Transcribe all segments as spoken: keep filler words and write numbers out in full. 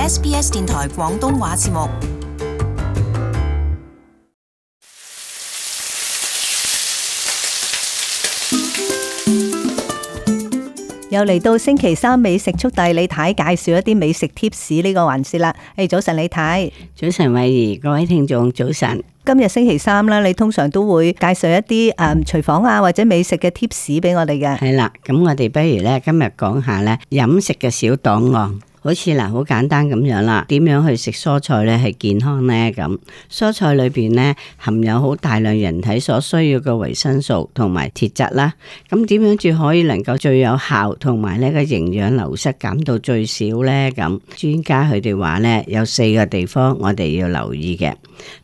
S B S 電台廣東話節目。又嚟到星期三美食速遞，李太介紹一啲美食貼士呢個環節啦。誒，早晨李太。早晨慧怡，各位聽眾早晨。今日星期三啦，你通常都會介紹一啲誒廚房啊或者美食嘅貼士俾我哋嘅。係啦，咁我哋不如咧今日講下咧飲食嘅小檔案。好似嗱，好簡單咁樣啦。點樣去食蔬菜咧係健康咧？咁蔬菜裏邊咧含有好大量人體所需要嘅維生素同埋鐵質啦。咁點樣至可以能夠最有效同埋呢個營養流失減到最少咧？咁專家佢哋話咧有四個地方我哋要留意嘅。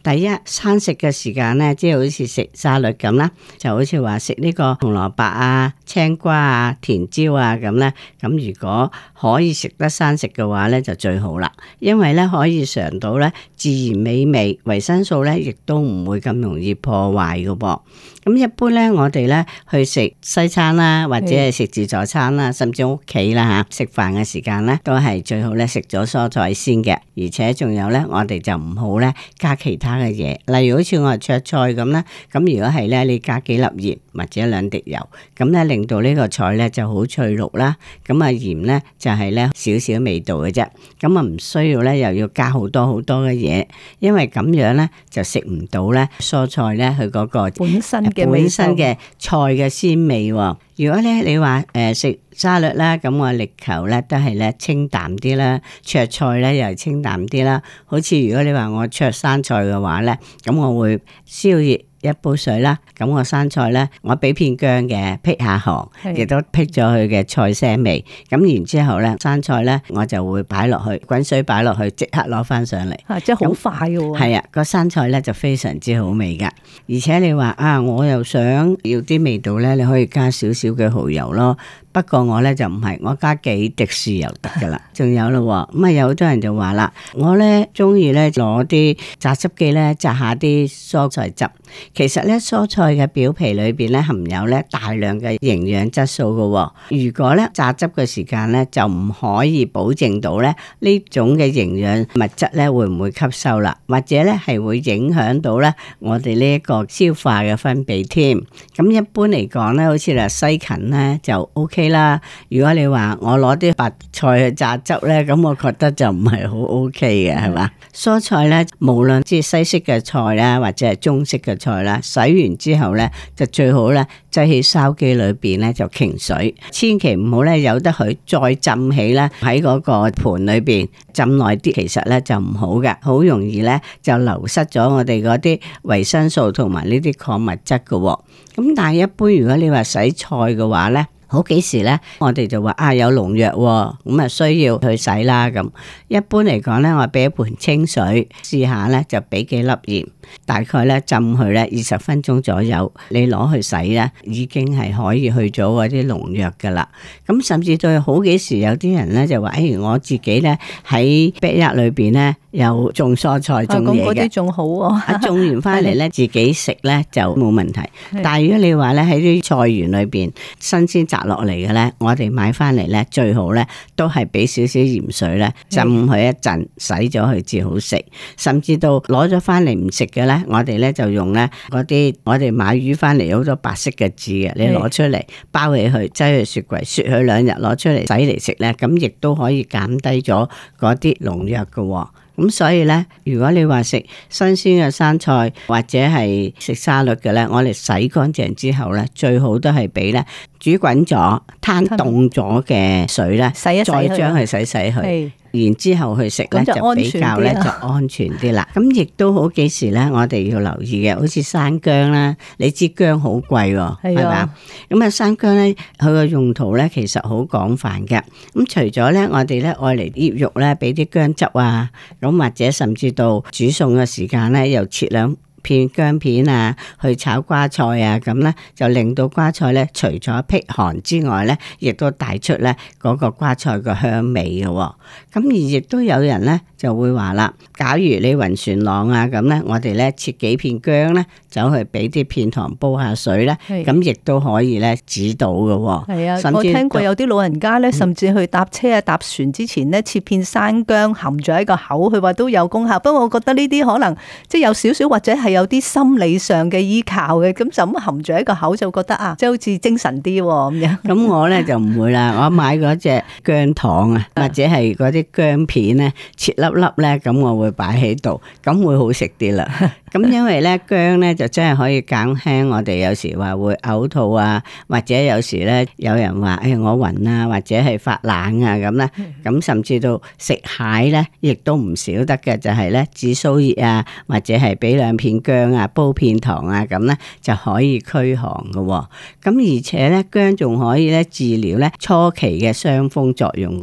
第一，餐食嘅時間咧，即係好似食沙律咁啦，就好似話食呢個紅蘿蔔啊、青瓜啊、甜椒啊咁咧。咁如果可以食得生食嘅話咧就最好啦，因為咧可以嘗到咧自然美味，維生素咧亦都唔會咁容易破壞嘅噃。咁一般咧我哋咧去食西餐啦，或者係食自助餐啦，甚至屋企啦吓，食飯嘅時間咧都係最好咧食咗蔬菜先嘅，而且仲有咧我哋就唔好咧加其他嘅嘢，例如好似我哋灼菜咁咧，咁如果係咧你加幾粒鹽或者兩滴油，咁咧令到呢個菜咧就好脆綠啦。咁啊鹽咧就係咧少少味道嘅啫，咁啊唔需要咧又要加好多好多嘅嘢，因為咁樣咧就食唔到咧蔬菜咧佢嗰個本身嘅本身嘅菜嘅鮮味。如果咧你話誒食沙律啦，咁我力求咧都係咧清淡啲啦，灼菜咧又係清淡啲啦。好似如果你話我灼生菜嘅話咧，咁我會燒熱一煲水啦，咁我生菜咧，我俾片薑嘅，辟下寒，亦都辟咗佢嘅菜腥味。咁然之後咧，生菜咧，我就會擺落去，滾水擺落去，即刻攞翻上嚟。啊，即係好快嘅喎。係啊，個生菜咧就非常之好味噶。而且你話啊，我又想要啲味道咧，你可以加少少嘅蠔油咯。不過我咧就唔係，我加幾滴豉油得噶啦。仲有咯，咁啊有好多人就話啦，我咧中意咧攞啲榨汁機咧榨下啲蔬菜汁。其實咧蔬菜嘅表皮裏邊咧含有咧大量嘅營養質素噶。如果咧榨汁嘅時間咧就唔可以保證到咧呢種嘅營養物質咧會唔會吸收啦，或者咧係會影響到咧我哋呢一個消化嘅分泌添。咁一般嚟講咧，好似嗱西芹咧就 O K。啦，如果你話我攞啲白菜去榨汁咧，咁我覺得就唔係好 OK 嘅，係嘛？蔬菜咧，無論即係西式嘅菜啦，或者係中式嘅菜啦，洗完之後咧，就最好咧，擠喺筲箕裏邊咧就擎水，千祈唔好咧由得佢再浸起咧喺嗰個盤裏邊浸耐啲，其實咧就唔好嘅，好容易咧就流失咗我哋嗰啲維生素同埋呢啲礦物質嘅。咁但係一般如果你話洗菜嘅話咧，好幾時咧，我哋就話啊有農藥喎，咁啊需要去洗啦咁。一般嚟講咧，我俾一盆清水試下咧，就俾幾粒鹽，大概咧浸佢咧二十分鐘左右，你攞去洗咧，已經係可以去咗嗰啲農藥噶啦。咁甚至到好幾時有啲人咧就話，誒、哎、我自己咧喺 backyard 裏邊咧有種蔬菜種嘢嘅，咁嗰啲仲好喎。種完翻嚟咧自己食咧就冇問題。但係如果你話咧喺啲菜園裏邊新鮮摘落嚟嘅咧，我哋買翻嚟咧最好咧都係俾少少鹽水咧浸佢一陣，洗咗佢至好食。甚至到攞咗翻嚟唔食嘅咧，我哋咧就用咧嗰啲我哋買魚翻嚟有好多白色嘅紙嘅，你攞出嚟包起佢，擠去雪櫃雪佢兩日，攞出嚟洗嚟食咧，咁亦都可以減低咗嗰啲農藥嘅。咁所以咧，如果你話食新鮮嘅生菜或者係食沙律嘅咧，我哋洗乾淨之後咧，最好都係俾咧煮滾咗、攤凍咗嘅水咧，洗一洗再將佢洗洗佢。然之後去食咧就比較咧就安全啲啦。咁亦都好幾時咧，我哋要留意嘅，好似生薑啦，你知薑好貴喎，係嘛？咁啊生薑咧，佢個用途咧其實好廣泛嘅。咁除咗咧，我哋咧愛嚟醃肉咧，俾啲薑汁啊，咁或者甚至到煮餸嘅時間咧，又切兩片薑片啊，去炒瓜菜啊，咁咧就令到瓜菜咧除咗辟寒之外咧，亦都帶出咧嗰個瓜菜個香味嘅。咁而亦都有人咧就會話啦，假如你暈船浪啊咁咧，我哋咧切幾片薑咧，走去俾啲片糖煲下水咧，咁亦都可以咧止到嘅。係啊，甚至我聽過有啲老人家咧，甚至去搭車啊、搭船之前咧，切片生薑含住喺個口，佢話都有功效。不過我覺得呢啲可能即係有少少或者係有啲心理上嘅依靠嘅，咁就咁含住喺個口就覺得啊，即係好似精神啲咁樣。咁我咧就唔會啦，我買嗰隻薑糖啊，或者係嗰啲薑片咧，切粒粒咧，咁我會擺喺度，咁會好食啲啦。咁因為咧薑咧就真係可以減輕我哋有時話會嘔吐啊，或者有時咧有人話誒、哎、我暈啊，或者係發冷啊咁咧，咁甚至到食蟹咧，亦都唔少得嘅，就係咧紫蘇葉啊，或者係俾兩片薑啊，煲片糖啊，咁咧就可以驅寒嘅。咁而且咧薑仲可以咧治療咧初期嘅傷風作用嘅。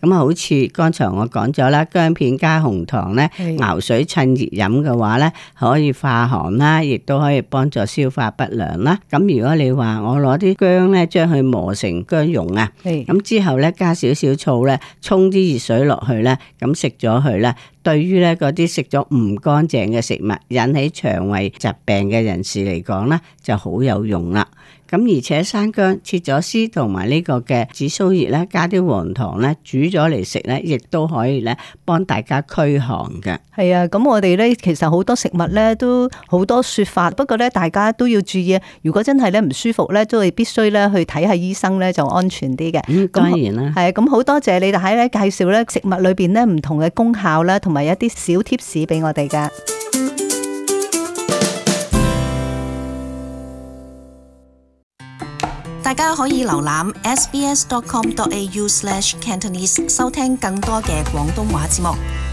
咁啊，好似剛才我講咗啦，薑片加紅糖咧，熬水趁熱飲嘅話咧，可以化寒啦，亦都可以幫助消化不良啦。咁如果你話我攞啲薑咧，將佢磨成薑蓉啊，咁之後咧加少少醋咧，沖啲熱水落去咧，咁食咗佢咧，對於咧嗰啲食咗唔乾淨嘅食物引起腸胃疾病嘅人士嚟講咧，就好有用啦。咁而且生薑切咗絲同埋呢個嘅紫蘇葉咧，加啲黃糖咧，煮咗嚟食咧，亦都可以咧幫大家驅寒嘅。係啊，咁我哋咧其實好多食物咧都好多說法，不過咧大家都要注意，如果真係咧唔舒服咧，都係必須咧去睇下醫生咧就安全啲嘅。嗯，當然啦。係啊，咁好多謝你哋喺咧介紹咧食物裏邊咧唔同嘅功效啦，同埋一啲小貼士俾我哋噶。大家可以瀏覽 s b s dot com dot a u slash cantonese 收聽更多嘅廣東話節目。